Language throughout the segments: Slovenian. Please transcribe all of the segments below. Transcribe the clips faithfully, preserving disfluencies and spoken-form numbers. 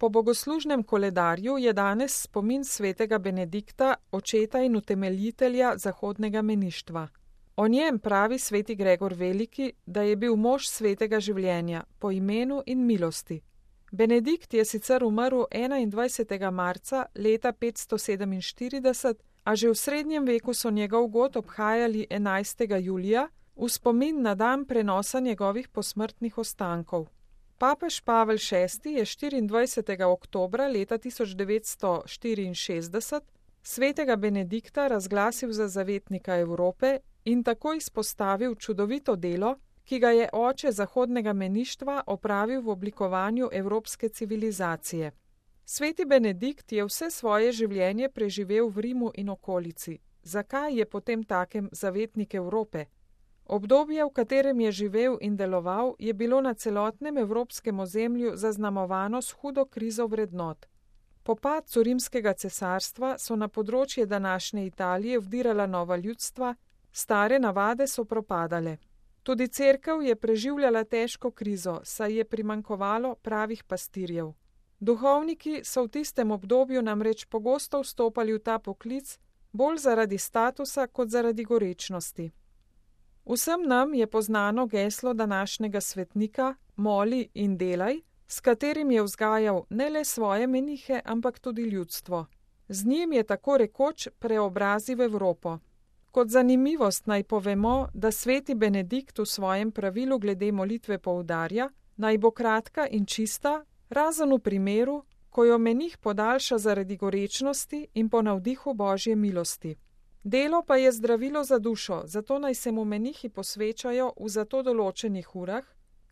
Po bogoslužnem koledarju je danes spomin svetega Benedikta, očeta in utemeljitelja zahodnega meništva. O njem pravi sveti Gregor Veliki, da je bil mož svetega življenja, po imenu in milosti. Benedikt je sicer umrl enaindvajsetega marca leta petsto sedeminštirideset, a že v srednjem veku so njegov god obhajali enajstega julija v spomin na dan prenosa njegovih posmrtnih ostankov. Papež Pavel šesti je štiriindvajsetega oktobra leta tisoč devetsto štiriinšestdeset svetega Benedikta razglasil za zavetnika Evrope in tako izpostavil čudovito delo, ki ga je oče zahodnega meništva opravil v oblikovanju evropske civilizacije. Sveti Benedikt je vse svoje življenje preživel v Rimu in okolici. Zakaj je potem takem zavetnik Evrope? Obdobje, v katerem je živel in deloval, je bilo na celotnem evropskem ozemlju zaznamovano s hudo krizo vrednot. Po padcu rimskega cesarstva so na področje današnje Italije vdirala nova ljudstva, stare navade so propadale. Tudi cerkev je preživljala težko krizo, saj je primanjkovalo pravih pastirjev. Duhovniki so v tistem obdobju namreč pogosto vstopali v ta poklic, bolj zaradi statusa kot zaradi gorečnosti. Vsem nam je poznano geslo današnjega svetnika Moli in delaj, s katerim je vzgajal ne le svoje menihe, ampak tudi ljudstvo. Z njim je tako rekoč preobrazil Evropo. Kot zanimivost naj povemo, da sveti Benedikt v svojem pravilu glede molitve poudarja, naj bo kratka in čista, razen v primeru, ko jo menih podaljša zaradi gorečnosti in po navdihu Božje milosti. Delo pa je zdravilo za dušo, zato naj se mu menihi posvečajo v za to določenih urah,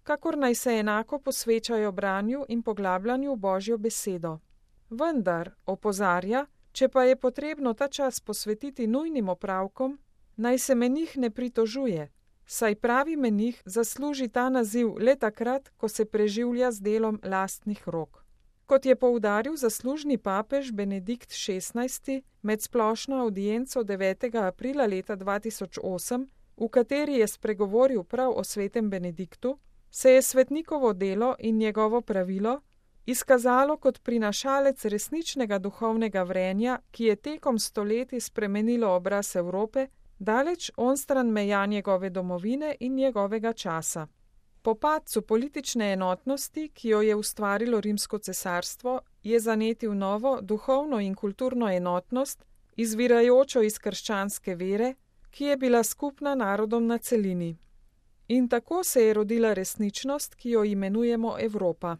kakor naj se enako posvečajo branju in poglabljanju Božjo besedo. Vendar, opozarja, če pa je potrebno ta čas posvetiti nujnim opravkom, naj se menih ne pritožuje, saj pravi menih zasluži ta naziv le takrat, ko se preživlja z delom lastnih rok. Kot je poudaril zaslužni papež Benedikt šestnajsti med splošno avdienco devetega aprila leta dva tisoč osem, v kateri je spregovoril prav o svetem Benediktu, se je svetnikovo delo in njegovo pravilo izkazalo kot prinašalec resničnega duhovnega vrenja, ki je tekom stoletij spremenilo obraz Evrope, daleč onstran meja njegove domovine in njegovega časa. Po padcu politične enotnosti, ki jo je ustvarilo Rimsko cesarstvo, je zanetil novo duhovno in kulturno enotnost, izvirajočo iz krščanske vere, ki je bila skupna narodom na celini. In tako se je rodila resničnost, ki jo imenujemo Evropa.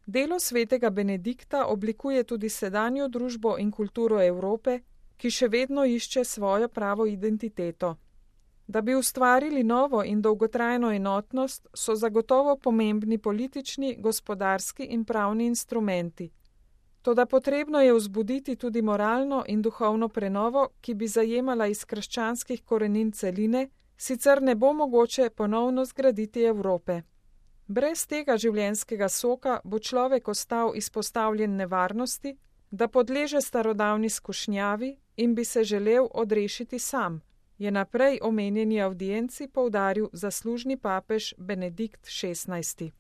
Delo svetega Benedikta oblikuje tudi sedanjo družbo in kulturo Evrope, ki še vedno išče svojo pravo identiteto. Da bi ustvarili novo in dolgotrajno enotnost, so zagotovo pomembni politični, gospodarski in pravni instrumenti. Toda potrebno je vzbuditi tudi moralno in duhovno prenovo, ki bi zajemala iz krščanskih korenin celine, sicer ne bo mogoče ponovno zgraditi Evrope. Brez tega življenjskega soka bo človek ostal izpostavljen nevarnosti, da podleže starodavni skušnjavi in bi se želel odrešiti sam, je naprej omenjeni avdienci poudaril zaslužni papež Benedikt šestnajsti.